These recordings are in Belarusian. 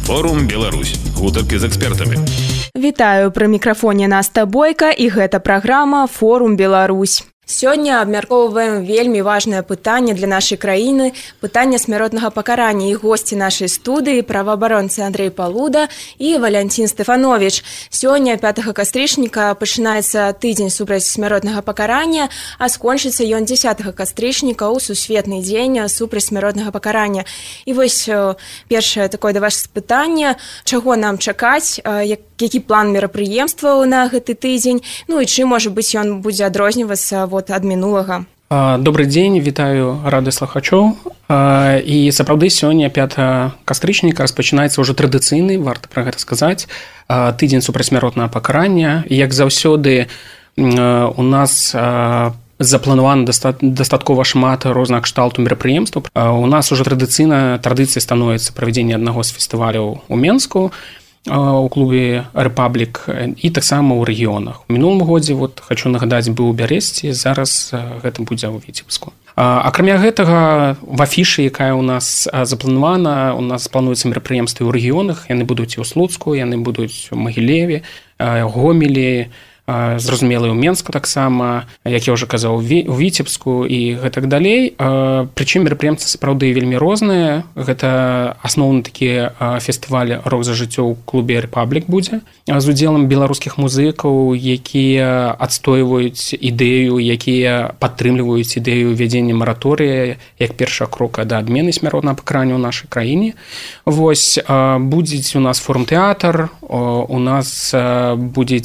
Форум Беларусь. Гутаркі з экспертамі. Вітаю, пры мікрафоне Наста Бойка, і гэта праграма «Форум Беларусь». Сёння абмяркоўваем вельмі важнае пытанне для нашай краіны, пытанне смяротнага пакарання, і госці нашай студыі праваабаронцы Андрэй Палуда і Валянцін Стэфановіч. Сёння, 5 кастрычніка, пачынаецца тыдзень супраць смяротнага пакарання, а скончыцца ён 10 кастрычніка ў сусветны дзень супраць смяротнага пакарання. І вось першае такое да вас пытанне, чаго нам чакаць, які план мерапрыемстваў на гэты тыдзень, ну і чым, можа быць, ён будзе адрознівацца ад мінулага. Добрый дзень, вітаю радыёслухачоў. І сапраўды сёння 5 кастрычніка распачынаецца ўжо традыцыйны, варта пра гэта сказаць, тыдзень супраць смяротнага пакарання. Як заўсёды у нас запланавана дастаткова шмат розных кшталтаў мерапрыемстваў. У нас ужо традыцыяй становіцца правядзенне аднаго з фестываляў у Менску, у клубе «Рэпаблік» і таксама ў рэгіёнах. У мінулым годзе, хочу нагадаць, быў у Бярэсці, зараз гэта будзе ў Віцебску. Акрамя гэтага, в афішы, якая ў нас запланавана, у нас плануюцца мерапрыемствы ў рэгіёнах, яны будуць і ў Слуцку, яны будуць у Магілеве, Гомелі, зразумела, і ў Менску таксама, як я ўжо казаў, у Віцебску і гэтак далей. Прычым мерапрыемствы сапраўды вельмі розныя. Гэта асноўны такі фестываль «Рок за жыццё» ў клубе «Рэпаблік» будзе, з удзелам беларускіх музыкаў, якія адстойваюць ідэю, якія падтрымліваюць ідэю ввядзення мараторыя як першага крока да адмены смяротнага пакарання ў нашай краіне. Вось, будзе у нас форум-тэатр, у нас будзе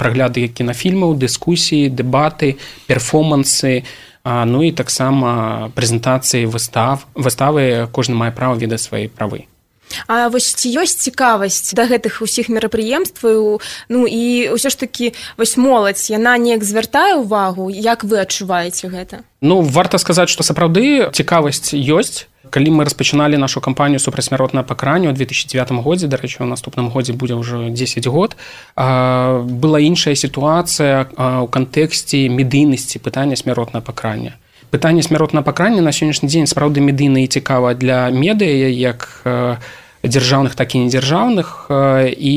прагляд кінафільмаў, дыскусіі, дэбаты, перформансы, ну і таксама прэзентацыі выставы, кожны мае права ведаць свае правы. А вось ці ёсць цікавасць да гэтых усіх мерапрыемстваў, ну і ўсё ж такі вось моладзь, яна неяк звяртае ўвагу, як вы адчуваеце гэта? Ну, варта сказаць, што сапраўды цікавасць ёсць. Калі мы распачыналі нашу кампанію супраць смяротнага пакарання ў 2009 годзе, дарэчы, у наступным годзе будзе ўжо 10 год, была іншая сітуацыя ў кантэксце медыйнасці пытання смяротнага пакарання. Пытанне смяротнага пакарання на сённяшні дзень сапраўды медыйна і цікава для медыа, як дзяржаўных, так і недзяржаўных. І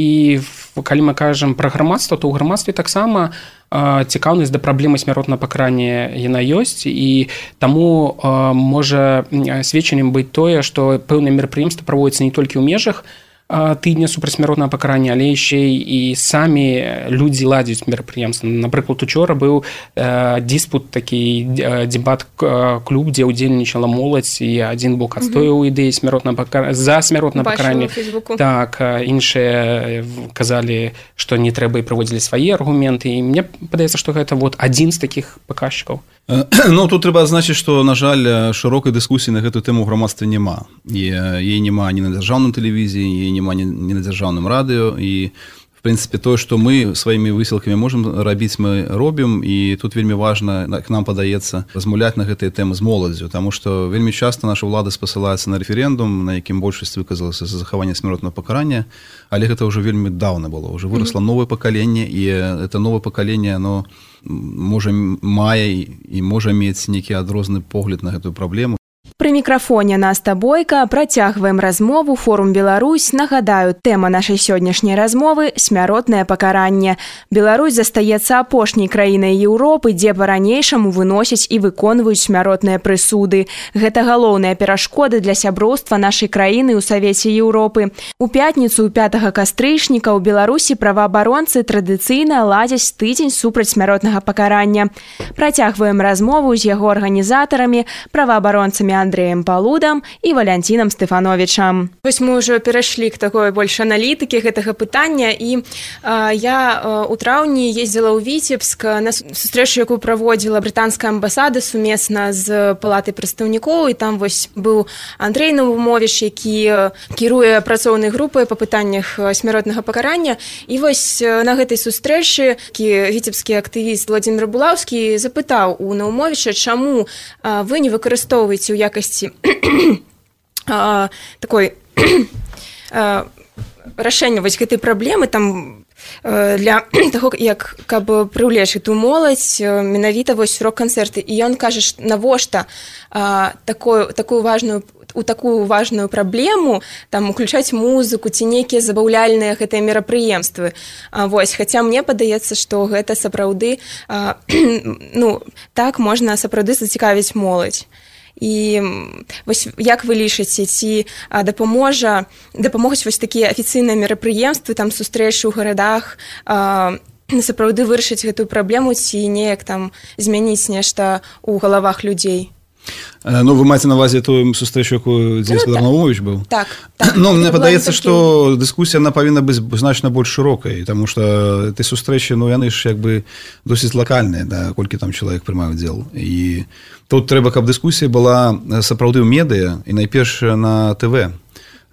калі мы кажам пра грамадства, то ў грамадстве таксама цікаўнасць да праблемы смяротнага пакарання яна ёсць, і таму можа сведчаннем быць тое, што пэўныя мерапрыемствы праводзяцца не толькі ў межах тыдня супраць смяротнага пакарання, але яшчэ і самі людзі ладзяць мерапрыемствы. Напрыклад, учора быў дыспут, такі дзебат-клуб, дзе ўдзельнічала моладзь, і адзін бок адстойваў ідэі за смяротнае пакаранне. Так, іншыя казалі, што не трэба, і прыводзілі свае аргументы. І мне падаецца, што гэта адзін з такіх паказчыкаў. Ну, тут трэба адзначыць, што, на жаль, шырокай дыскусіі на гэтую тэму ў грамадстве няма. І яе няма ні на дзяржаўным тэлевізіі, яе няма ні на дзяржаўным радыё. І, в прынцыпе, тое, што мы сваімі высілкамі можам рабіць, мы робім. І тут вельмі важна, як нам падаецца, размаўляць на гэтыя тэмы з моладдзю, таму што вельмі часта наша ўлада спасылаецца на рэферэндум, на якім большасць выказалася за захаванне смяротнага пакарання, але гэта ўжо вельмі даўна было. Уже вырасла новае пакаленне, і это новае пакаленне, оно мае і можа мець нейкі адрозны погляд на гэтую праблему. Пры мікрафоне Наста Бойка працягваем размову «Форум Беларусь». Нагадаю, тэма нашай сённяшняй размовы – смяротнае пакаранне. Беларусь застаецца апошняй краінай Еўропы, дзе па-ранейшаму выносяць і выконваюць смяротныя прысуды. Гэта галоўная перашкода для сяброўства нашай краіны ў Савеце Еўропы. У пятніцу, 5 кастрычніка, у Беларусі праваабаронцы традыцыйна ладзяць тыдзень супраць смяротнага пакарання. Працягваем размову з яго арганізатарамі, праваабаронцамі Андрэем Палудам і Валянцінам Стэфановічам. Вось мы ўжо перайшлі к такой больш аналітыкі гэтага пытання, і я у траўні ездзіла ў Віцебск на сустрэчу, якую праводзіла брытанская амбасада сумесна з палатай прадстаўнікоў, і там вось быў Андрэй Навумовіч, які кіруе працоўнай групай па пытаннях смяротнага пакарання. І вось на гэтай сустрэчы віцебскі актывіст Владзімір Булаўскі запытаў у Навумовіча, чаму вы не выкарыстоўваеце ў якасці такой рашэння вось гэтай праблемы там для того, як каб прыўлечь эту моладзь менавіта вось рок-канцэрты. І ён кажа, навошта такую важную у такую важную праблему там уключаць музыку ці нейкія забаўляльныя гэтыя мерапрыемствы. Вось, хаця мне падаецца, што гэта сапраўды так можна сапраўды зацікавіць моладзь. І вось як вы лічыце, ці дапамогуць вось такія афіцыйныя мерапрыемствы, там сустрэчы ў гарадах, сапраўды вырашыць гэтую праблему ці неяк там змяніць нешта ў галавах людзей? Ну, вы маеце на ўвазе тую сустрэчу, якую Дзеніс Падарнавович быў? Так. Ну, мне падаецца, што дыскусія она павінна быць значна больш шырокай, таму што ты сустрэчы, яны ж як бы досыць лакальныя, да, колькі там чалавек прымае удзел. І тут трэба, каб дыскусія была сапраўды ў медыа і найперш на ТВ.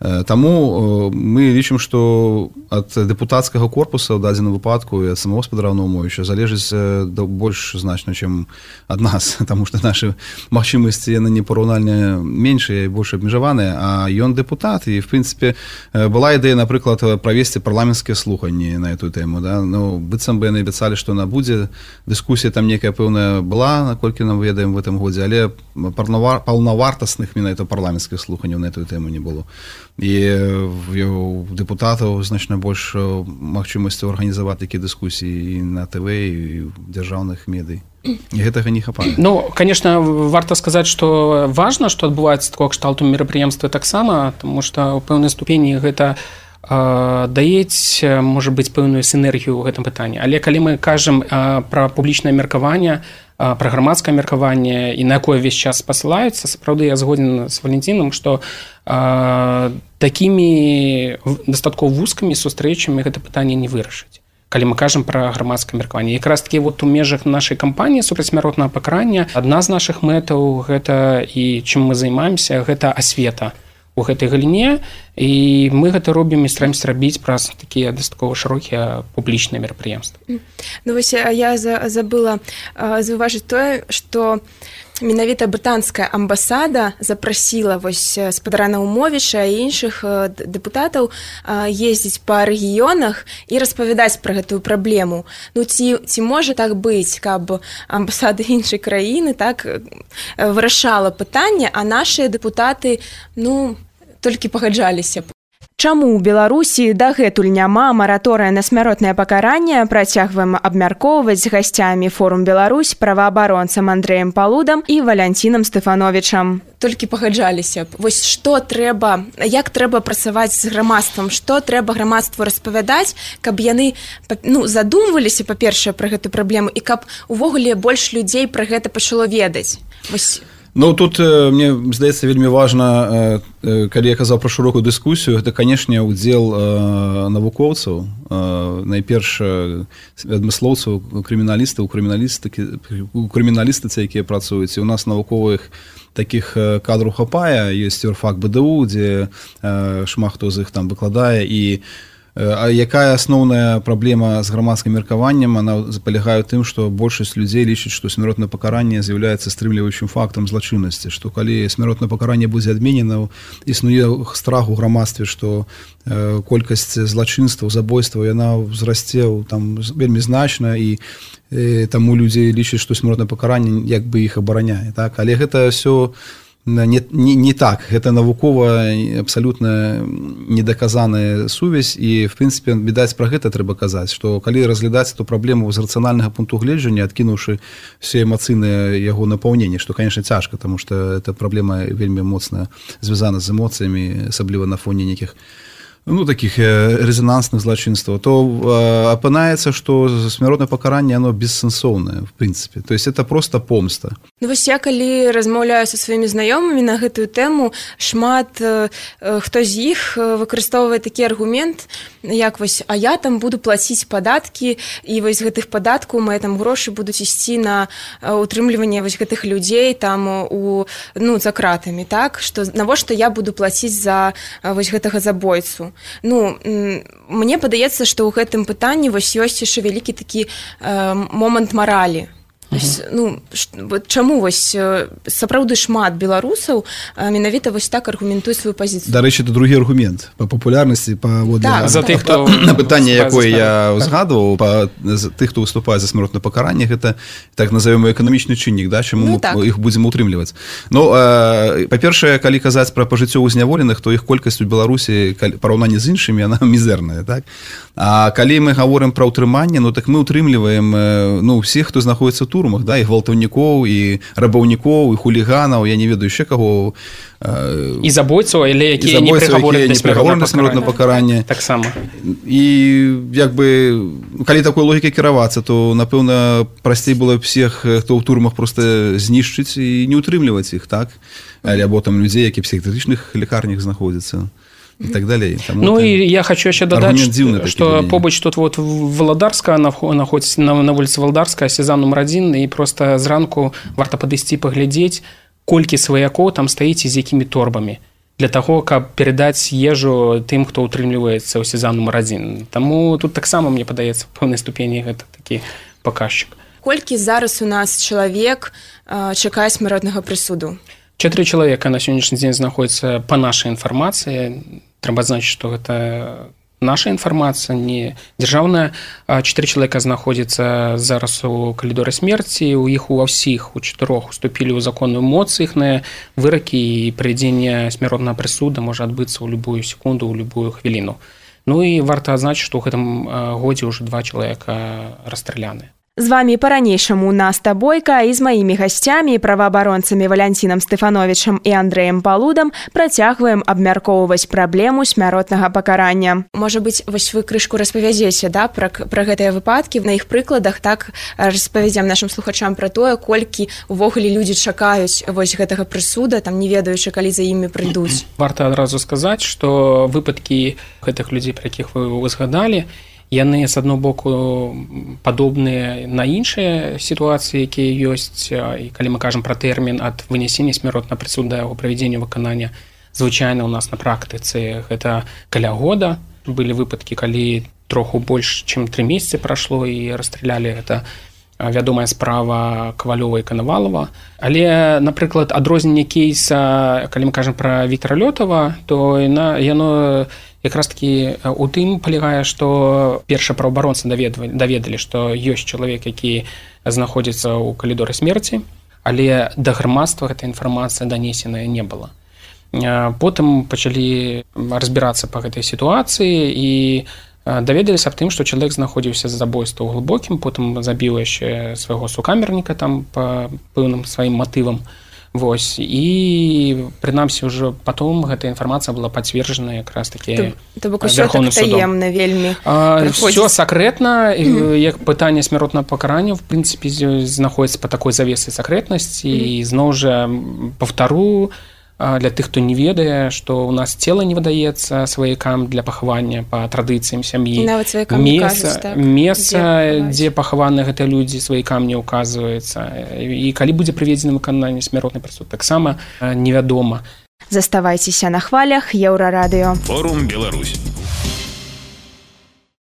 Таму мы лічым, што ад дэпутацкага корпуса ў дадзеным выпадку і ад самого Падарнавовича залежыць больш значна, чым ад нас, таму што нашы магчымасці яны непараўнальна меншыя і больш абмежаваныя, а ён дэпутат, і в прынцыпе была ідэя, напрыклад, правесці парламенцкія слуханні на эту тэму, да? Быццам бы яны абяцалі, што она будзе, дыскусія там некая пэўная была, наколькі нам ведаем в гэтым годзе, але паўнавартасных менавіта парламенцкіх слуханняў на эту тэму не было. І у дэпутатаў значна больш магчымасцяў арганізаваць такія дыскусіі і на ТВ, і ў дзяржаўных медый. І гэтага не хапае. Ну, конечно, варта сказаць, што важна, што адбываецца такога кшталту мерапрыемствы таксама, таму што ў пэўнай ступені гэта даець, можа быць, пэўную сінергію ў гэтым пытанні. Але калі мы кажам пра публічнае меркаванне, пра грамадскае меркаванне і на якое ўвесь час спасылаюцца, сапраўды я згоден з Валентинам, што такімі дастаткова вузкімі сустрэчамі гэта пытанне не вырашыць. Калі мы кажам пра грамадскае меркаванне. Якраз такі у межах нашай кампаніі супрацьсмяротнага пакарання адна з нашых мэтаў гэта і чым мы займаемся, гэта асвета у гэтай галіне, і мы гэта робім і стараемся рабіць праз такія дастаткова шырокія публічныя мерапрыемствы. Ну вось я забыла заўважыць тое, што менавіта брытанская амбасада запрасіла вось Падарнавовича і іншых дэпутатаў ездзіць па рэгіёнах і распавядаць пра гэтую праблему. Ну ці можа так быць, каб амбасада іншай краіны так вырашала пытанне, а нашыя дэпутаты толькі пагаджаліся б? Чаму ў Беларусі дагэтуль няма мараторыя на смяротнае пакаранне, працягваем абмяркоўваць з гасцямі форум Беларусь, праваабаронцам Андрэем Палудам і Валянцінам Стэфановічам. Толькі пагаджаліся б. Вось што трэба, як трэба працаваць з грамадствам, што трэба грамадству распавядаць, каб яны задумваліся, па-першае, пра гэту праблему, і каб увогуле больш людзей пра гэта пачало ведаць. Вось. Ну, тут, мне здаецца, вельмі важна, калі я казаў пра шырокую дыскусію, гэта, канешне, удзел навукоўцаў, найперш адмыслоўцаў, крыміналістаў, крыміналістыцы, якія працуюць. І ў нас навуковых такіх кадраў хапае, ёсць юрфак БДУ, дзе шмат хто з іх там выкладае, і а якая асноўная праблема з грамадскім меркаваннем? Она палягае ў тым, што большасць людзей лічыць, што смяротнае пакаранне з'яўляецца стрымліваючым фактам злачыннасці, што калі смяротнае пакаранне будзе адменена, існуе страх у грамадстве, што колькасць злачынстваў, забойстваў яна ўзрасце там вельмі значна, і таму людзі лічаць, што смяротнае пакаранне як бы іх абараняе, так? Але гэта ўсё не так, гэта навукова абсалютна недаказаная сувязь, і в прынцыпе, відаць, пра гэта трэба казаць, што калі разглядаць эту праблему з рацыянальнага пункту гледжання, адкінуўшы все эмацыйныя яго напаўненне, што, конечно, цяжка, таму што эта праблема вельмі моцна звязана з эмоцыямі, асабліва на фоне нейкіх таких резонансных злачынстваў, то апынаецца, што смяротнае пакаранне, оно бессэнсоўнае, в прынцыпе. То есть это просто помста. Ну вось я, калі размаўляю са сваімі знаёмымі на гэтую тэму, шмат хто з іх выкарыстоўвае такі аргумент, як вось, а я там буду плаціць падаткі, і вось гэтых падаткаў мае там грошы будуць ісці на утрымліванне вось гэтых людзей там за кратамі, так? Што навошта я буду плаціць за вось гэтага забойцу? Мне падаецца, што ў гэтым пытанні вось ёсць яшчэ вялікі такі момант маралі. Чаму сапраўды шмат беларусаў менавіта так аргументуе сваю пазіцыю? Дарэчы, это другі аргумент па папулярнасці, на пытанне, якое я узгадваў, па тых, хто выступае за смяротнае пакаранне, гэта так назовем эканамічны чыннік, чаму мы іх будзем утрымліваць. Па-першае, калі казаць пра пажыццёвых зняволеных, то іх колькасць у Беларусі параўнанні з іншымі, яна мізэрная, так? А калі мы гаворым пра ўтрыманне, так мы ўтрымліваем всіх, хто знаходзіцца ў турмах, і гвалтаўнікоў, і рабаўнікоў, і хуліганаў, я не ведаю яшчэ каго. І забойцаў, але якія не прыгавораны да смяротнага пакарання. Таксама. І калі такой логікай кіравацца, то, напэўна, прасцей было б всіх, хто ў турмах проста знішчыць і не ўтрымліваць іх, так? Або там людзей, які в псіхіятрычных лікарнях знаходзяцца. И так далее. И я хочу еще додать, что побач тут Володарская, находится на улице Володарская, сезон номер 1, и просто зранку варто подойти поглядеть, колькі сваякоў там стаіць з якімі торбамі, для того, каб перадаць ежу тым, хто ўтрымліваецца ў сезон номер 1. Таму тут таксама, мне падаецца, в пэўнай ступені гэта такі паказчык. Колькі зараз у нас чалавек чакае смяротнага прысуду? 4 чалавека на сённяшні дзень знаходзяцца па нашай інфармацыі. Трэба значыць, што гэта наша інфармацыя, не дзяржаўная. 4 чалавека знаходзяцца зараз у калідоры смерці. У іх ува ўсіх, у 4 уступілі ў законную моц іхныя выракі, і правядзенне смяротнага прысуда можа адбыцца ў любую секунду, ў любую хвіліну. І варта адзначыць, што ў гэтым годзе ўжо 2 чалавека расстраляныя. З вами по-ранейшаму Наста Бойка і з маімі гасцямі, праваабаронцамі Валянцінам Стэфановічам і Андрэем Палудам працягваем абмяркоўваць праблему смяротнага пакарання. Можа быць, вы крышку распавядзеце, пра гэтыя выпадкі, на іх прыкладах, так распавядзем нашым слухачам пра тое, колькі увогуле людзі чакаюць гэтага прысуда, там не ведаючы, калі за імі прыйдуць. Варта адразу сказаць, што выпадкі гэтых людзей, пра якіх вы узгадалі, яны, з аднаго боку, падобныя на іншыя сітуацыі, якія ёсць, і калі мы кажам пра тэрмін ад вынясення смяротнага прысуда да правядзення выканання, звычайна ў нас на практыцы гэта каля года. Былі выпадкі, калі троху больш, чым 3 месяцы прайшло і расстралялі. Гэта вядомая справа Кавалёва і Канавалова. Але, напрыклад, адрозненне кейса, калі мы кажам пра Віктара Лётава, то яно якраз такі у тым палягае, што першыя праваабаронцы даведалі, што ёсць чалавек, які знаходзіцца ў калідоры смерці, але да грамадства гэта інфармацыя данесеная не была. Потым пачалі разбірацца па гэтай сітуацыі і даведаліся аб тым, што чалавек знаходзіўся з забойства ў глыбокім, потым забіў яшчэ свайго сукамерніка там па пэўным сваім матывам. І прынамсі ўжо потом гэтая інфармацыя была пацверджана якраз такі Верховным судом. Все сакрэтна, як пытанне смяротнага пакарання в прынцыпе знаходзіцца па такой завесай сакрэтнасці. І зноў жа паўтару для тых, хто не ведае, што ў нас цела не выдаецца сваякам для пахавання па традыцыям сям'і. Месца, дзе пахаваны гэтыя людзі, сваякам не ўказваецца. І калі будзе праведзена выкананне смяротны прысуд, таксама невядома. Заставайцеся на хвалях Еўрарадыё. Форум Беларусь.